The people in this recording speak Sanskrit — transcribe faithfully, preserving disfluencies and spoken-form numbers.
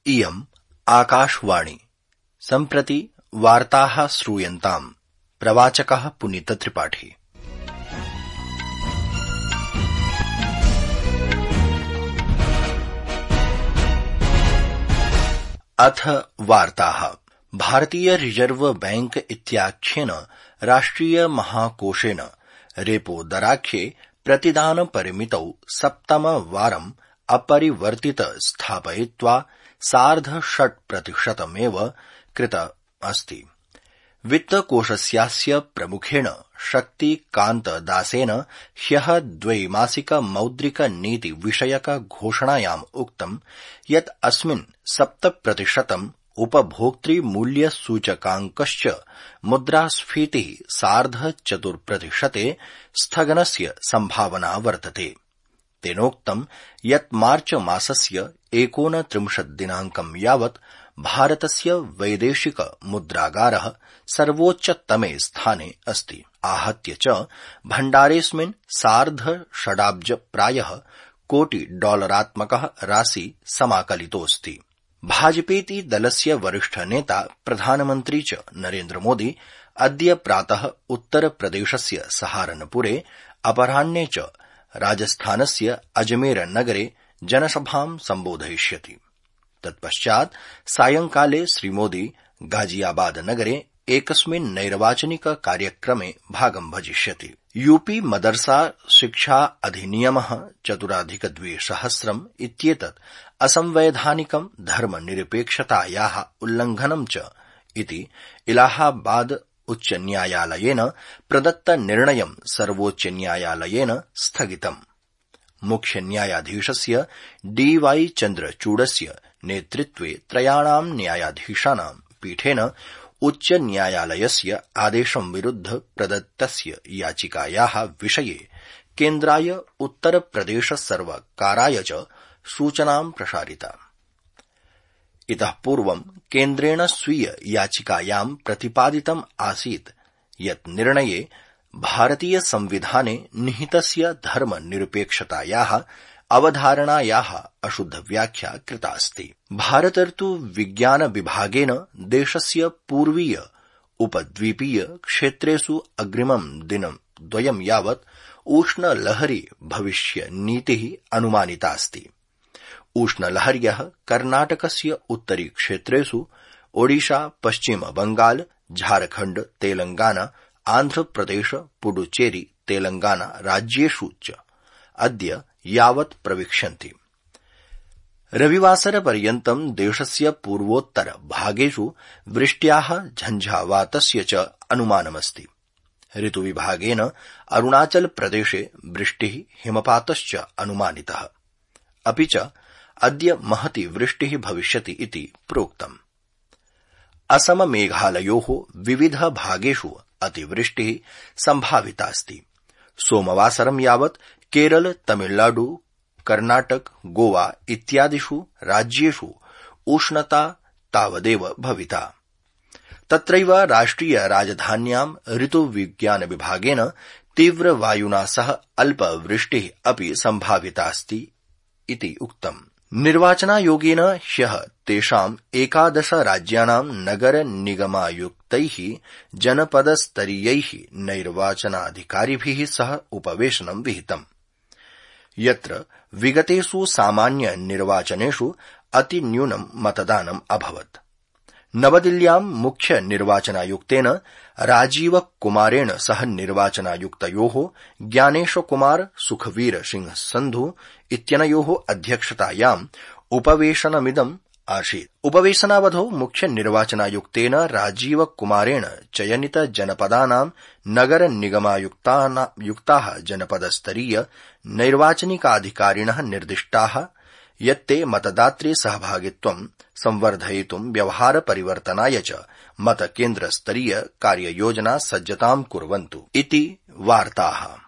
इयम् आकाशवाणी। सम्प्रति वार्ताः श्रूयन्ताम्। प्रवाचकः पुनीतत्रिपाठी। अथ वार्ताः। भारतीय रिजर्व बैंक इत्याख्येन राष्ट्रिय महाकोषेण रेपो दराख्ये प्रतिदान परिमितौ सप्तमवारम् अपरिवर्तित स्थापयित्वा सार्ध षट् प्रतिशतमेव कृत अस्ति। वित्तकोषस्यास्य प्रमुखेण शक्तिकान्त दासेन ह्यः द्वैमासिक मौद्रिक नीति विषयक घोषणायाम् उक्तम् यत् अस्मिन् सप्त प्रतिशतम् उपभोक्तृमूल्य सूचकाङ्कश्च मुद्रास्फीतिः सार्ध चतुर्प्रतिशते स्थगनस्य सम्भावना वर्तते। तेनोक्तम् यत् मार्च मासस्य एकोनत्रिंशत् दिनाङ्कं यावत् भारतस्य वैदेशिक मुद्रागारः सर्वोच्चतमे स्थाने अस्ति। आहत्य च भण्डारेऽस्मिन् सार्ध षडाब्ज प्रायः कोटि डॉलरात्मकः राशि समाकलितोऽस्ति। भाजपेति दलस्य वरिष्ठ नेता प्रधानमन्त्री च नरेन्द्र मोदी अद्य प्रातः उत्तरप्रदेशस्य सहारनपुरे अपराह्ने च राजस्थानस्य अजमेर नगरे जनसभां सम्बोधयिष्यति। तत्पश्चात् सायंकाले श्रीमोदी गाजियाबाद नगरे एकस्मिन् नैर्वाचनिक कार्यक्रमे भागं भजिष्यति। यूपी मदरसा शिक्षा अधिनियमः चतुराधिकद्विसहस्रम् इत्येतत् असंवैधानिकं धर्मनिरपेक्षतायाः उल्लङ्घनं च इति इलाहाबाद उच्चन्यायालयेन प्रदत्त निर्णयं सर्वोच्चन्यायालयेन स्थगितम्। मुख्यन्यायाधीशस्य डी वाई चन्द्रचूडस्य नेतृत्वे त्रयाणां न्यायाधीशानां पीठेन उच्चन्यायालयस्य आदेशं विरुध्य प्रदत्तस्य याचिकायाः विषये केन्द्राय उत्तरप्रदेश सर्वकाराय च सूचनां प्रसारिता। इतः पूर्वं केन्द्रेण स्वीय याचिकायां प्रतिपादितम् आसीत् यत् निर्णये भारतीय संविधाने निहितस्य धर्मनिरपेक्षतायाः अवधारणायाः अशुद्धव्याख्या कृता अस्ति। भारतर्तु विज्ञान विभागेन देशस्य पूर्वीय उपद्वीपीय क्षेत्रेषु अग्रिमं दिनं द्वयं यावत् उष्णलहरी भविष्यनीतिः अनुमानितास्ति। उष्णलहर्यः कर्णाटकस्य उत्तरी क्षेत्रेषु ओडिशा, पश्चिम बंगाल, झारखण्ड, तेलंगाना, आन्ध्रप्रदेश, पुडुचेरी, तेलंगाना राज्येषु च अद्य यावत् प्रविक्षन्ति। रविवासरपर्यन्तं देशस्य पूर्वोत्तर भागेषु वृष्ट्याः झञ्झावातस्य च अनुमानमस्ति। ऋतुविभागेन अरुणाचल प्रदेशे वृष्टिः हिमपातश्च अनुमानितः। अपि च अद्य महती वृष्टिः भविष्यति इति प्रोक्तम्। असम मेघालयोः विविध भागेषु अतिवृष्टिः सम्भावितास्ति। सोमवासरं यावत् केरल, तमिलनाडु, कर्णाटक, गोवा इत्यादिषु राज्येषु उष्णता तावदेव भविता। तत्रैव राष्ट्रिय राजधान्यां ऋतुविज्ञान विभागेन तीव्रवायुना सह अल्पवृष्टिः अपि सम्भावितास्ति इति उक्तम्। निर्वाचनायोगेन ह्यः तेषाम् एकादश राज्यानां नगर निगमायुक्तैः जनपदस्तरीयैः नैर्वाचनाधिकारिभिः सह उपवेशनं विहितम्, यत्र विगतेषु सामान्य निर्वाचनेषु अतिन्यूनं मतदानम् अभवत्। नवदिल्ल्यां मुख्य निर्वाचनायुक्तेन राजीव कुमारेण सह निर्वाचनायुक्तयोः ज्ञानेश कुमार सुखवीर सिंह संधु इत्यनयोः अध्यक्षतायाम् उपवेशनमिदम् आसीत्। उपवेशनावधौ मुख्य निर्वाचनायुक्तेन राजीव कुमारेण चयनित जनपदानां नगर निगमायुक्ताः जनपदस्तरीय नैर्वाचनिकाधिकारिणः निर्दिष्टाः यत्ते मतदातृ सहभागित्वं संवर्धयितुं व्यवहार परिवर्तनाय च मतकेन्द्रस्तरीय कार्ययोजना सज्जतां कुर्वन्तु इति वार्ताः।